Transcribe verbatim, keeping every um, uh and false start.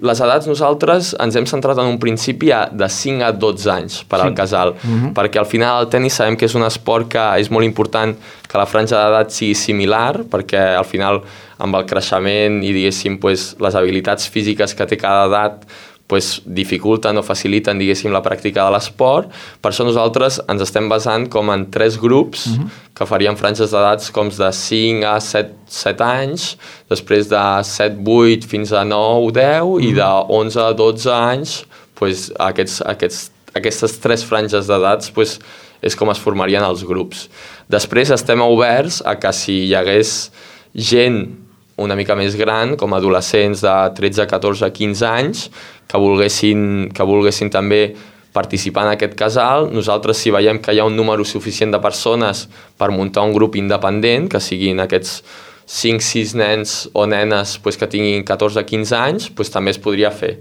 Les edats nosaltres ens hem centrat en un principi de cinc a dotze anys per al casal, uh-huh. perquè al final el tenis sabem que és un esport que és molt important que la franja d'edat sigui similar, perquè al final amb el creixement i diguéssim pues, les habilitats físiques que té cada edat pues, dificulten o faciliten diguéssim la pràctica de l'esport. Per això nosaltres ens estem basant com en tres grups uh-huh. que farien franges d'edats com de cinc a set anys, després de set vuit fins a nou deu uh-huh. i de onze a dotze anys pues, aquests, aquests, aquestes tres franges d'edats pues, és com es formarien els grups. Després estem oberts a que si hi hagués gent una mica més gran, com adolescents de tretze, catorze, quinze anys, que volguessin, que volguessin també participar en aquest casal. Nosaltres, si veiem que hi ha un número suficient de persones per muntar un grup independent, que siguin aquests cinc sis nens o nenes pues, que tinguin catorze, quinze anys, pues, també es podria fer.